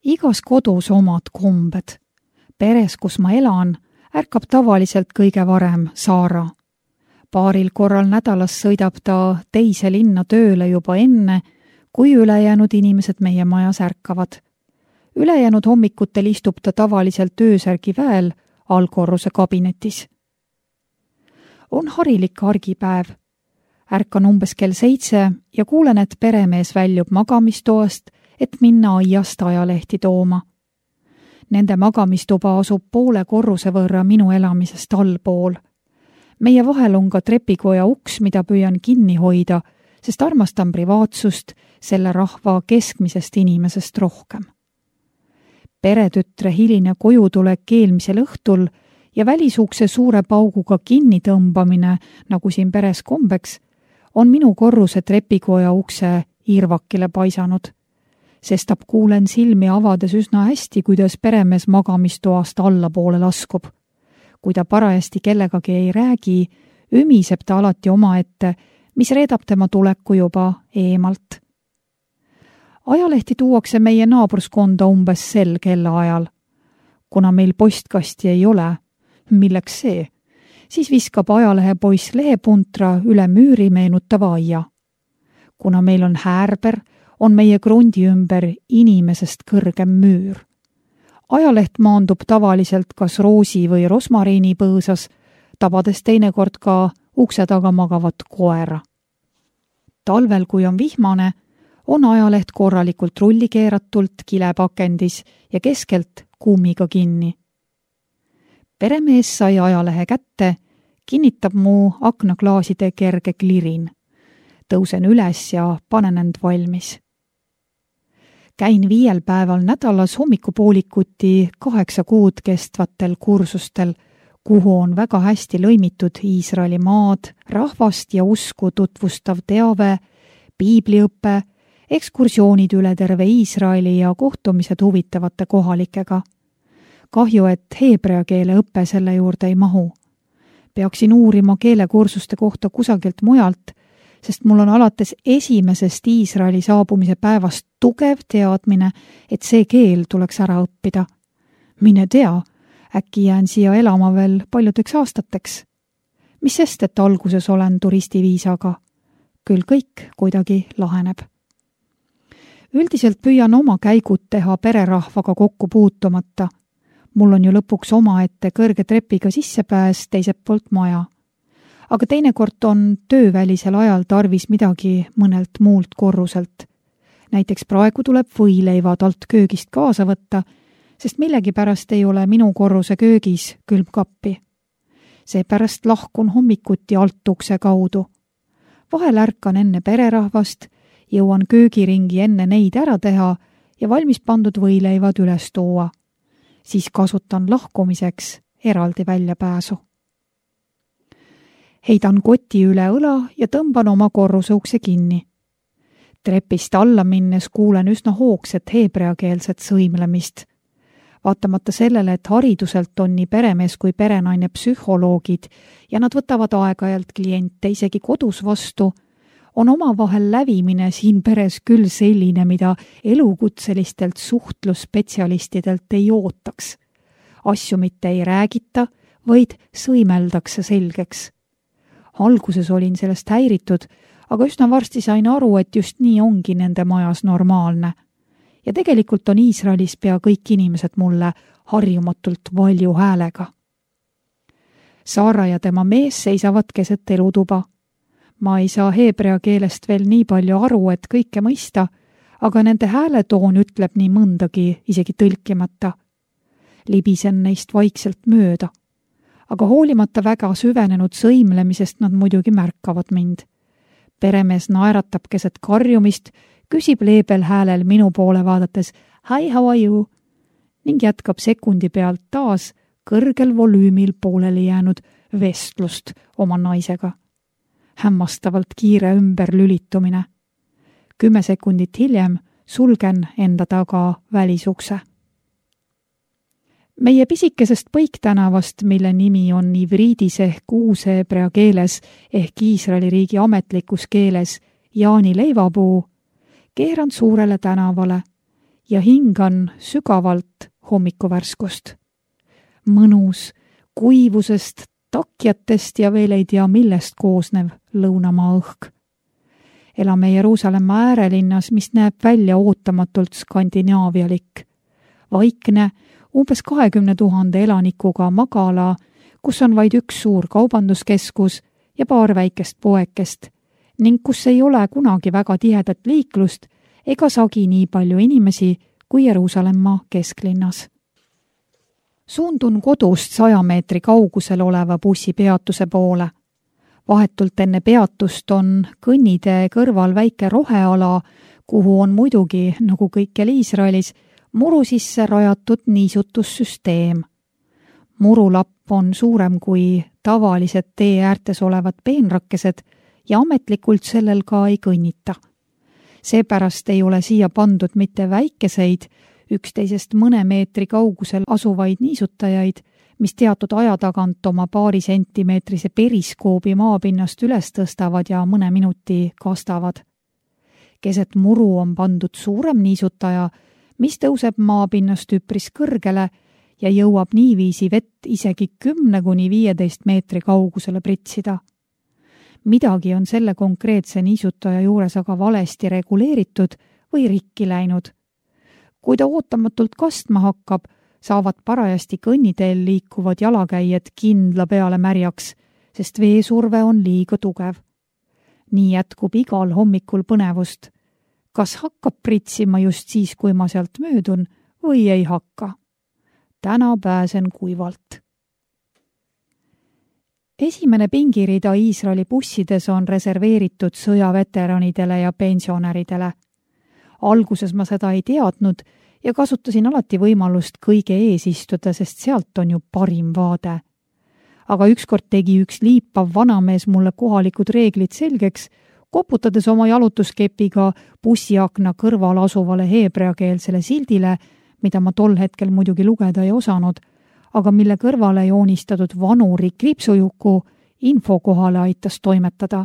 Igas kodus omad kombed. Peres, kus ma elan, ärkab tavaliselt kõige varem Saara. Paaril korral nädalas sõidab ta teise linna tööle juba enne, kui ülejäänud inimesed meie majas ärkavad. Ülejäänud hommikutel istub ta tavaliselt öösärgi väel allkorruse kabinetis. On harilik argipäev. Ärkan umbes kell 7 ja kuulen, et peremees väljub magamistoast, et minna aiast ajalehti tooma. Nende magamistuba asub poole korruse võrra minu elamisest allpool. Meie vahel on ka trepikoja uks, mida püüan kinni hoida, sest armastan privaatsust selle rahva keskmisest inimesest rohkem. Peretütre hiline kojutulek eelmisel õhtul ja välisukse suure pauguga kinni tõmbamine, nagu siin peres kombeks, on minu korruse trepikoja ukse irvakile paisanud. Sestap kuulen silmi avades üsna hästi, kuidas peremees magamistoast allapoole laskub. Kui ta parajasti kellegagi ei räägi, ümiseb ta alati omaette, mis reedab tema tuleku juba eemalt. Ajalehti tuuakse meie naabruskonda umbes sel kellaajal. Kuna meil postkasti ei ole, milleks see, siis viskab ajalehepoiss lehepuntra üle müüri meenutava aia. Kuna meil on häärber, on meie krundi ümber inimesest kõrgem müür. Ajaleht maandub tavaliselt kas roosi või rosmariini põõsas, tabades teinekord ka ukse taga magavat koera. Talvel, kui on vihmane, on ajaleht korralikult rullikeeratult kilepakendis ja keskelt kummiga kinni. Peremees sai ajalehe kätte, kinnitab mu aknaklaaside kerge klirin. Tõusen üles ja panen end valmis. Käin 5 päeval nädalas hommikupoolikuti 8 kuud kestvatel kursustel, kuhu on väga hästi lõimitud Iisraeli maad, rahvast ja usku tutvustav teave, piibliõpe, ekskursioonid üle terve Iisraeli ja kohtumised huvitavate kohalikega. Kahju, et heebrea keele õpe selle juurde ei mahu. Peaksin uurima keelekursuste kohta kusagilt mujalt, sest mul on alates esimesest Iisraeli saabumise päevast tugev teadmine, et see keel tuleks ära õppida. Mine tea, äkki jään siia elama veel paljudeks aastateks. Mis sest, et alguses olen turistiviisaga? Küll kõik kuidagi laheneb. Üldiselt püüan oma käigud teha pererahvaga kokku puutumata. Mul on ju lõpuks omaette kõrge trepiga sissepääs teiselt poolt maja. Aga teinekord on töövälisel ajal tarvis midagi mõnelt muult korruselt. Näiteks praegu tuleb võileivad alt köögist kaasa võtta, sest millegipärast ei ole minu korruse köögis külmkappi. Seepärast lahkun hommikuti alt ukse kaudu. Vahel ärkan enne pererahvast, jõuan köögiringi enne neid ära teha ja valmis pandud võileivad üles tuua. Siis kasutan lahkumiseks eraldi väljapääsu. Heidan koti üle õla ja tõmban oma korruse ukse kinni. Trepist alla minnes kuulen üsna hoogset heebreakeelset sõimlemist. Vaatamata sellele, et hariduselt on nii peremees kui perenaine psühholoogid ja nad võtavad aeg-ajalt kliente isegi kodus vastu, on omavahel lävimine siin peres küll selline, mida elukutselistelt suhtlusspetsialistidelt ei ootaks. Asju mitte ei räägita, vaid sõimeldakse selgeks. Alguses olin sellest häiritud, aga üsna varsti sain aru, et just nii ongi nende majas normaalne. Ja tegelikult on Iisraelis pea kõik inimesed mulle harjumatult valju häälega. Saara ja tema mees seisavad keset elutuba. Ma ei saa heebrea keelest veel nii palju aru, et kõike mõista, aga nende hääletoon ütleb nii mõndagi isegi tõlkimata. Libisen neist vaikselt mööda. Aga hoolimata väga süvenenud sõimlemisest nad muidugi märkavad mind. Peremees naeratab keset karjumist, küsib leebel häälel minu poole vaadates "Hi, how are you?" ning jätkab sekundi pealt taas kõrgel volüümil pooleli jäänud vestlust oma naisega. Hämmastavalt kiire ümberlülitumine. 10 sekundit hiljem sulgen enda taga välisukse. Meie pisikesest Põiktänavast, mille nimi on ivriidis ehk uusheebrea keeles ehk Iisraeli riigi ametlikus keeles Jaani leivapuu, keeran suurele tänavale ja hingan sügavalt hommikuvärskust. Mõnus, kuivusest, takjatest ja veel ei tea millest koosnev lõunamaa õhk. Elame Jeruusalemma äärelinnas, mis näeb välja ootamatult skandinaavialik. Vaikne, umbes 20 000 elanikuga magala, kus on vaid üks suur kaubanduskeskus ja paar väikest poekest ning kus ei ole kunagi väga tihedat liiklust ega sagi nii palju inimesi kui Jeruusalemma kesklinnas. Suundun kodust 100 meetri kaugusel oleva bussipeatuse poole. Vahetult enne peatust on kõnnitee kõrval väike roheala, kuhu on muidugi, nagu kõikjal Iisraelis, muru sisse rajatud niisutussüsteem. Murulapp on suurem kui tavalised tee äärtes olevad peenrakkesed ja ametlikult sellel ka ei kõnnita. Seepärast ei ole siia pandud mitte väikeseid, üksteisest mõne meetri kaugusel asuvaid niisutajaid, mis teatud aja tagant oma paari sentimeetrise periskoobi maapinnast üles tõstavad ja mõne minuti kastavad. Keset muru on pandud suurem niisutaja, mis tõuseb maapinnast üpris kõrgele ja jõuab niiviisi vett isegi 10–15 meetri kaugusele pritsida. Midagi on selle konkreetse niisutaja juures aga valesti reguleeritud või rikki läinud. Kui ta ootamatult kastma hakkab, saavad parajasti kõnniteel liikuvad jalakäijad kindla peale märjaks, sest veesurve on liiga tugev. Nii jätkub igal hommikul põnevust. Kas hakkab pritsima just siis, kui ma sealt möödun või ei hakka? Täna pääsen kuivalt. Esimene pingirida Iisraeli bussides on reserveeritud sõjaveteranidele ja pensionäridele. Alguses ma seda ei teadnud ja kasutasin alati võimalust kõige ees istuda, sest sealt on ju parim vaade. Aga ükskord tegi üks liipav vanamees mulle kohalikud reeglid selgeks, koputades oma jalutuskepiga bussiakna kõrval asuvale heebreakeelsele sildile, mida ma tol hetkel muidugi lugeda ei osanud, aga mille kõrvale joonistatud vanuri kriipsujuku info kohale aitas toimetada.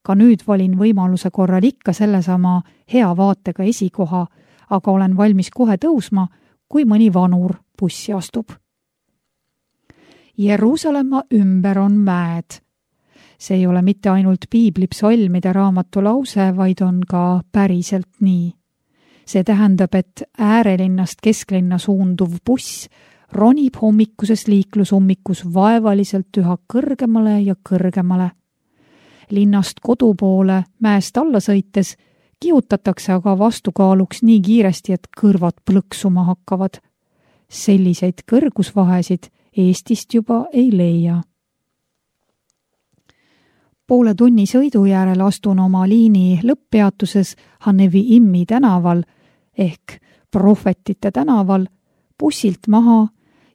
Ka nüüd valin võimaluse korral ikka sellesama hea vaatega esikoha, aga olen valmis kohe tõusma, kui mõni vanur bussi astub. Jeruusalemma ümber on mäed. See ei ole mitte ainult piiblipsalmide raamatu lause, vaid on ka päriselt nii. See tähendab, et äärelinnast kesklinna suunduv buss ronib hommikuses liiklusummikus vaevaliselt üha kõrgemale ja kõrgemale. Linnast kodu poole mäest alla sõites kihutatakse aga vastukaaluks nii kiiresti, et kõrvad plõksuma hakkavad. Selliseid kõrgusvahesid Eestist juba ei leia. Poole tunni sõidu järel astun oma liini lõpppeatuses Hanevi Immi tänaval ehk Prohvetite tänaval bussilt maha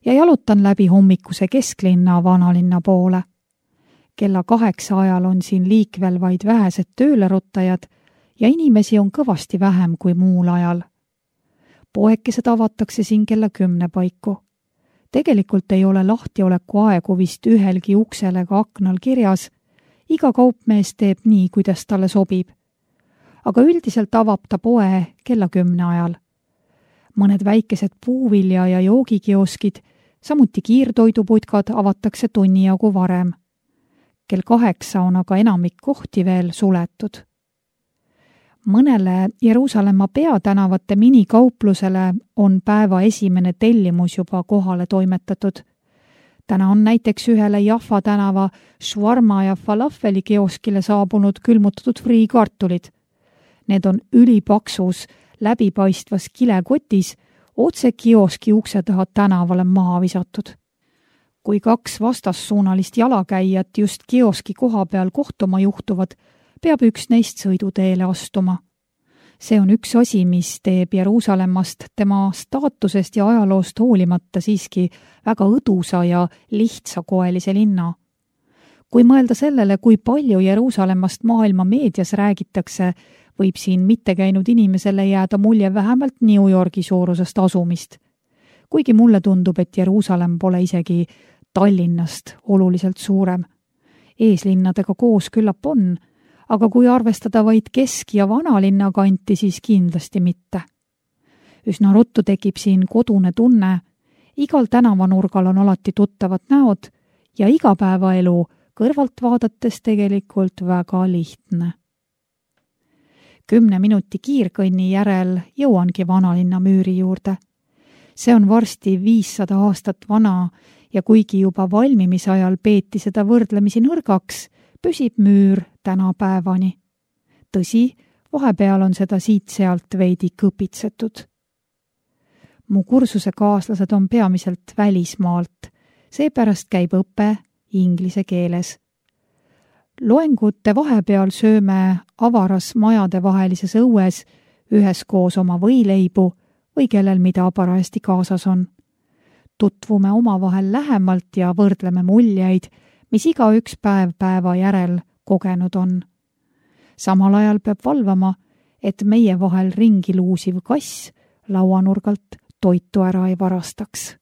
ja jalutan läbi hommikuse kesklinna vanalinna poole. Kella 8 ajal on siin liikvel vaid vähesed tööleruttajad ja inimesi on kõvasti vähem kui muul ajal. Poekesed avatakse siin kella 10 paiku. Tegelikult ei ole lahtioleku aegu vist ühelgi uksel ega aknal kirjas. Iga kaupmees teeb nii, kuidas talle sobib. Aga üldiselt avab ta poe kella 10 ajal. Mõned väikesed puuvilja- ja joogikioskid, samuti kiirtoiduputkad avatakse tunni jagu varem. Kell 8 on aga enamik kohti veel suletud. Mõnele Jeruusalemma peatänavate minikauplusele on päeva esimene tellimus juba kohale toimetatud. Täna on näiteks ühele Jaffa tänava švarma ja falafeli kioskile saabunud külmutatud friikartulid. Need on ülipaksus, läbipaistvas kilekotis otse kioski ukse taha tänavale maha visatud. Kui 2 vastassuunalist jalakäijat just kioski koha peal kohtuma juhtuvad, peab üks neist sõiduteele astuma. See on üks asi, mis teeb Jeruusalemmast tema staatusest ja ajaloost hoolimata siiski väga õdusa ja lihtsakoelise linna. Kui mõelda sellele, kui palju Jeruusalemmast maailma meedias räägitakse, võib siin mitte käinud inimesele jääda mulje vähemalt New Yorgi suurusest asumist. Kuigi mulle tundub, et Jeruusalemm pole isegi Tallinnast oluliselt suurem. Eeslinnadega koos küllap on, aga kui arvestada vaid kesk- ja vanalinna kanti, siis kindlasti mitte. Üsna ruttu tekib siin kodune tunne, igal tänavanurgal on alati tuttavad näod ja igapäevaelu kõrvalt vaadates tegelikult väga lihtne. 10 minuti kiirkõnni järel jõuangi vanalinna müüri juurde. See on varsti 500 aastat vana ja kuigi juba valmimisajal peeti seda võrdlemisi nõrgaks, püsib müür tänapäevani. Tõsi, vahepeal on seda siit-sealt veidi kõpitsetud. Mu kursuse kaaslased on peamiselt välismaalt, seepärast käib õpe inglise keeles. Loengute vahepeal sööme avaras majade vahelises õues üheskoos oma võileibu või kellel mida parajasti kaasas on. Tutvume omavahel lähemalt ja võrdleme muljeid, mis igaüks päeva järel kogenud on. Samal ajal peab valvama, et meie vahel ringi luusiv kass lauanurgalt toitu ära ei varastaks.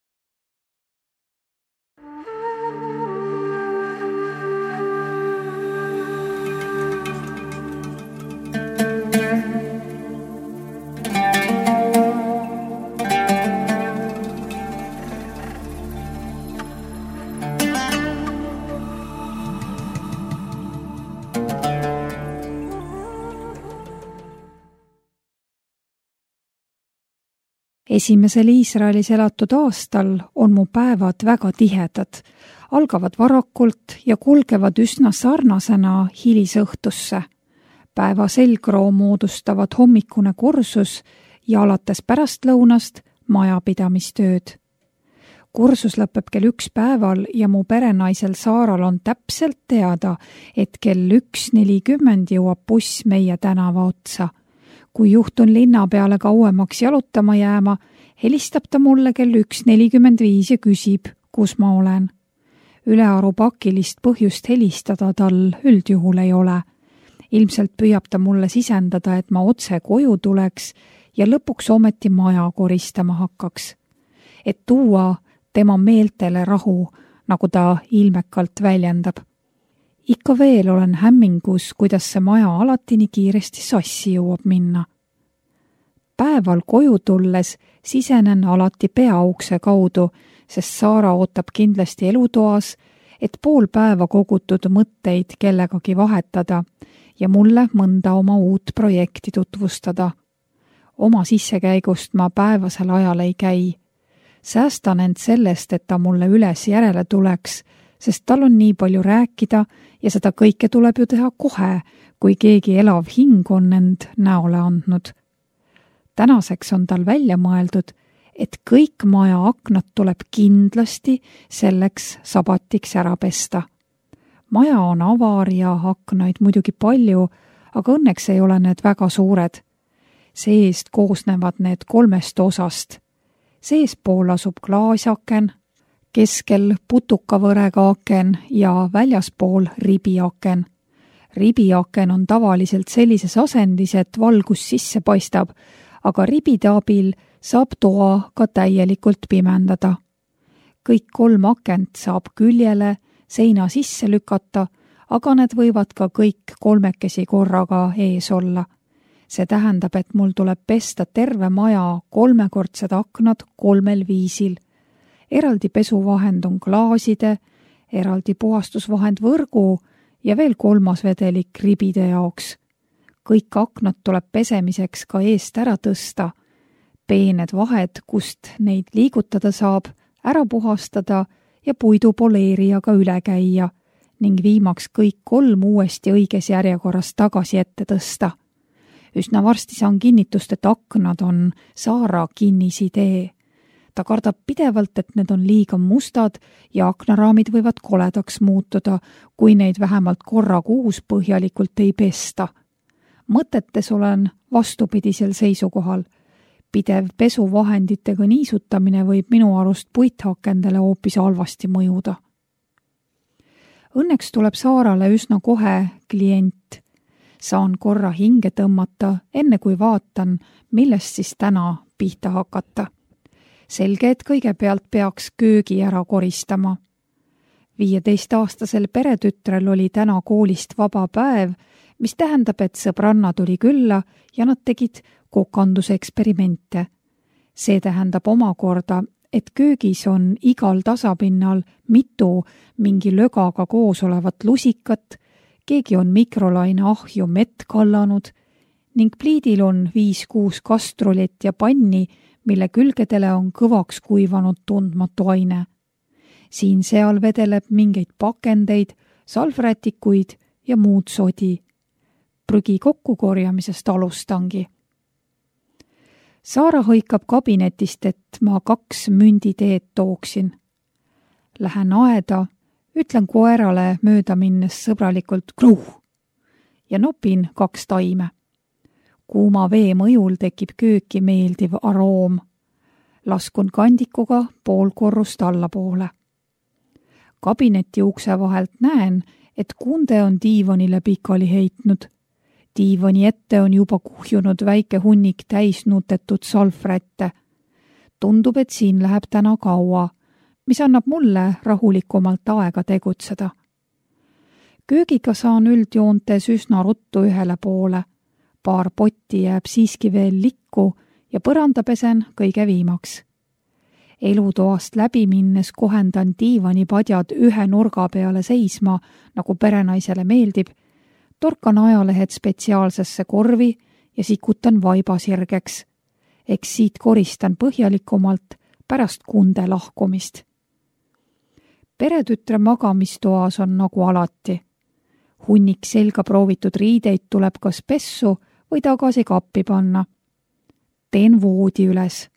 Esimesel Iisraelis elatud aastal on mu päevad väga tihedad, algavad varakult ja kulgevad üsna sarnasena hilisõhtusse. Päeva selgroo moodustavad hommikune kursus ja alates pärastlõunast majapidamistööd. Kursus lõpeb kell 1 päeval ja mu perenaisel Saaral on täpselt teada, et kell 1:40 jõuab buss meie tänava otsa. Kui juhtun linna peale kauemaks jalutama jääma, helistab ta mulle kell 1:45 ja küsib, kus ma olen. Ülearu pakilist põhjust helistada tal üldjuhul ei ole. Ilmselt püüab ta mulle sisendada, et ma otse koju tuleks ja lõpuks ometi maja koristama hakkaks. Et tuua tema meeltele rahu, nagu ta ilmekalt väljendab. Ikka veel olen hämmingus, kuidas see maja alati nii kiiresti sassi jõuab minna. Päeval koju tulles sisenen alati peaukse kaudu, sest Saara ootab kindlasti elutoas, et pool päeva kogutud mõtteid kellegagi vahetada ja mulle mõnda oma uut projekti tutvustada. Oma sissekäigust ma päevasel ajal ei käi. Säästan end sellest, et ta mulle üles järele tuleks, sest tal on nii palju rääkida ja seda kõike tuleb ju teha kohe, kui keegi elav hing on end näole andnud. Tänaseks on tal välja mõeldud, et kõik maja aknad tuleb kindlasti selleks sabatiks ära pesta. Maja on avar ja aknaid muidugi palju, aga õnneks ei ole need väga suured. Seest koosnevad need 3 osast. Seespool asub klaasaken, keskel putukavõrega aken ja väljaspool ribiaken. Ribiaken on tavaliselt sellises asendis, et valgus sisse paistab, aga ribide abil saab toa ka täielikult pimendada. Kõik 3 akent saab küljele, seina sisse lükata, aga need võivad ka kõik 3 korraga ees olla. See tähendab, et mul tuleb pesta terve maja 3-kordsed aknad 3 viisil. Eraldi pesuvahend on klaaside, eraldi puhastusvahend võrgu ja veel 3. vedelik ribide jaoks. Kõik aknad tuleb pesemiseks ka eest ära tõsta. Peened vahed, kust neid liigutada saab, ära puhastada ja puidupoleerijaga üle käia ning viimaks kõik 3 uuesti õiges järjekorras tagasi ette tõsta. Üsna varsti saan kinnitust, et aknad on Saara kinnisidee. Ta kardab pidevalt, et need on liiga mustad ja aknaraamid võivad koledaks muutuda, kui neid vähemalt korra kuus põhjalikult ei pesta. Mõtetes olen vastupidisel seisukohal. Pidev pesuvahenditega niisutamine võib minu arust puithakendele hoopis halvasti mõjuda. Õnneks tuleb Saarale üsna kohe klient. Saan korra hinge tõmmata, enne kui vaatan, millest siis täna pihta hakata. Selge, et kõigepealt peaks köögi ära koristama. 15-aastasel peretütrel oli täna koolist vaba päev, mis tähendab, et sõbranna tuli külla ja nad tegid kokanduse eksperimente. See tähendab omakorda, et köögis on igal tasapinnal mitu mingi lögaga koos olevat lusikat, keegi on mikrolaine ahju mett kallanud ning pliidil on 5-6 kastrolit ja panni, mille külgedele on kõvaks kuivanud tundmatu aine. Siin-seal vedeleb mingeid pakendeid, salvrätikuid ja muud sodi. Prügi kokkukorjamisest alustangi. Saara hõikab kabinetist, et ma 2 münditeed tooksin. Lähen aeda, ütlen koerale mööda minnes sõbralikult kruh ja nopin 2 taime. Kuuma vee mõjul tekib kööki meeldiv aroom. Laskun kandikuga pool korrust allapoole. Kabineti ukse vahelt näen, et kunde on diivanile pikali heitnud. Diivani ette on juba kuhjunud väike hunnik täis nutetud salvrätte. Tundub, et siin läheb täna kaua, mis annab mulle rahulikumalt aega tegutseda. Köögiga saan üldjoontes üsna ruttu ühele poole. Paar potti jääb siiski veel likku ja põranda pesen kõige viimaks. Elutoast läbi minnes kohendan diivanipadjad ühe nurga peale seisma, nagu perenaisele meeldib, torkan ajalehed spetsiaalsesse korvi ja sikutan vaiba sirgeks. Eks siit koristan põhjalikumalt pärast kunde lahkumist. Peretütre magamistoas on nagu alati. Hunnik selga proovitud riideid tuleb kas pessu või tagasi kappi panna. Teen voodi üles.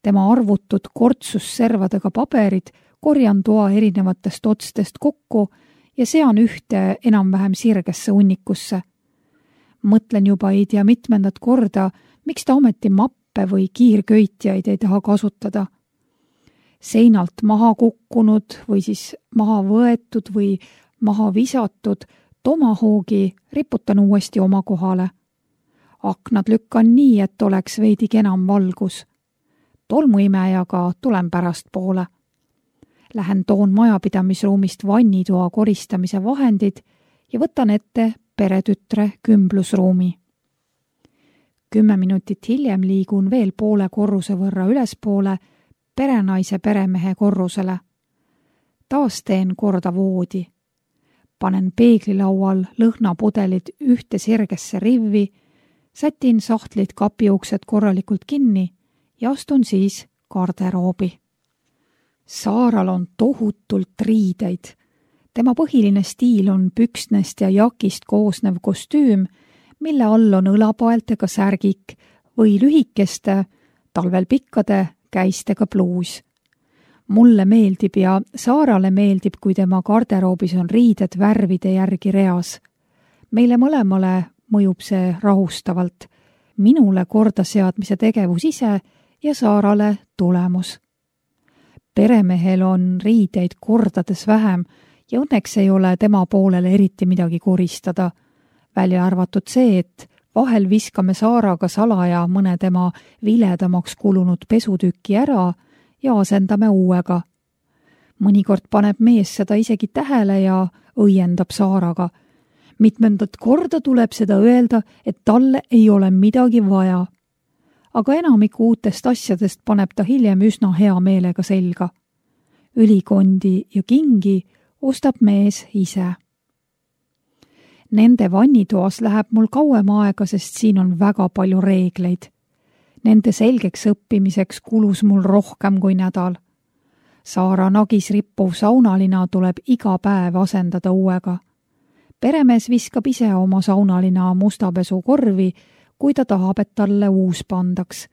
Tema arvutud kortsusservadega paberid korjan toa erinevatest otstest kokku ja sean ühte enam-vähem sirgesse hunnikusse. Mõtlen juba ei tea mitmendat korda, miks ta ometi mappe või kiirköitjaid ei taha kasutada. Seinalt maha kukkunud või siis maha võetud või maha visatud tomahoogi riputan uuesti oma kohale. Aknad lükkan nii, et oleks veidi enam valgus. Tolmuimejaga tulen pärast poole. Lähen toon majapidamisruumist vannitoa koristamise vahendid ja võtan ette peretütre kümblusruumi. 10 minutit hiljem liigun veel poole korruse võrra ülespoole perenaise peremehe korrusele. Taas teen korda voodi. Panen peeglilaual lõhnapudelid ühte sirgesse rivvi, sätin sahtlid kapiuksed korralikult kinni ja astun siis garderoobi. Saaral on tohutult riideid. Tema põhiline stiil on püksnest ja jakist koosnev kostüüm, mille all on õlapaeltega särgik või lühikeste, talvel pikkade käistega pluus. Mulle meeldib ja Saarale meeldib, kui tema garderoobis on riided värvide järgi reas. Meile mõlemale mõjub see rahustavalt. Minule kordaseadmise tegevus ise ja Saarale tulemus. Peremehel on riideid kordades vähem ja õnneks ei ole tema poolele eriti midagi koristada. Välja arvatud see, et vahel viskame Saaraga salaja mõne tema viledamaks kulunud pesutükki ära ja asendame uuega. Mõnikord paneb mees seda isegi tähele ja õiendab Saaraga. Mitmendat korda tuleb seda öelda, et talle ei ole midagi vaja. Aga enamiku uutest asjadest paneb ta hiljem üsna hea meelega selga. Ülikondi ja kingi ostab mees ise. Nende vannitoas läheb mul kauem aega, sest siin on väga palju reegleid. Nende selgeks õppimiseks kulus mul rohkem kui nädal. Saara nagis rippuv saunalina tuleb iga päev asendada uuega. Peremees viskab ise oma saunalina mustapesukorvi, kui ta tahab, et talle uus pandaks.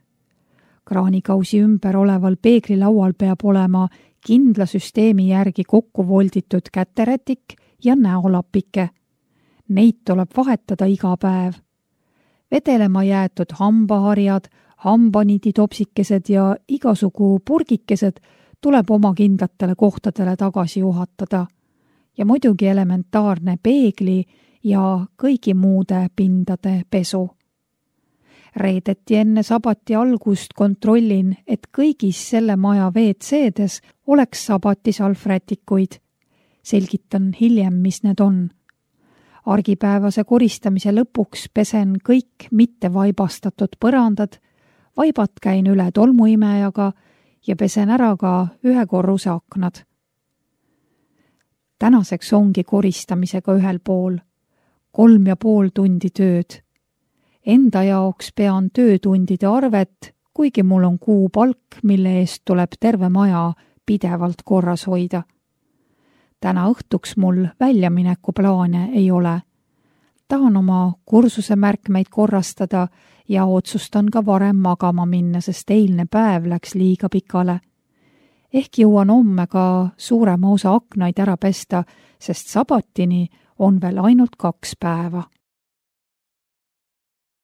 Kraanikausi ümber oleval peeglilaual peab olema kindla süsteemi järgi kokku volditud käterätik ja näolapike. Neid tuleb vahetada iga päev. Vedelema jäetud hambaharjad, hambanititopsikesed ja igasugu purgikesed tuleb oma kindlatele kohtadele tagasi juhatada. Ja muidugi elementaarne peegli ja kõigi muude pindade pesu. Reedeti enne sabati algust kontrollin, et kõigis selle maja WC-des oleks sabati salvrätikuid. Selgitan hiljem, mis need on. Argipäevase koristamise lõpuks pesen kõik mitte vaibastatud põrandad, Vaibat käin üle tolmuimejaga ja pesen ära ka 1 korruse aknad. Tänaseks ongi koristamisega 1 pool, 3,5 tundi tööd. Enda jaoks pean töötundide arvet, kuigi mul on kuupalk, mille eest tuleb terve maja pidevalt korras hoida. Täna õhtuks mul väljamineku plaane ei ole. Tahan oma kursuse märkmeid korrastada ja otsustan ka varem magama minna, sest eilne päev läks liiga pikale. Ehk jõuan homme ka suurema osa aknaid ära pesta, sest sabatini on veel ainult 2 päeva.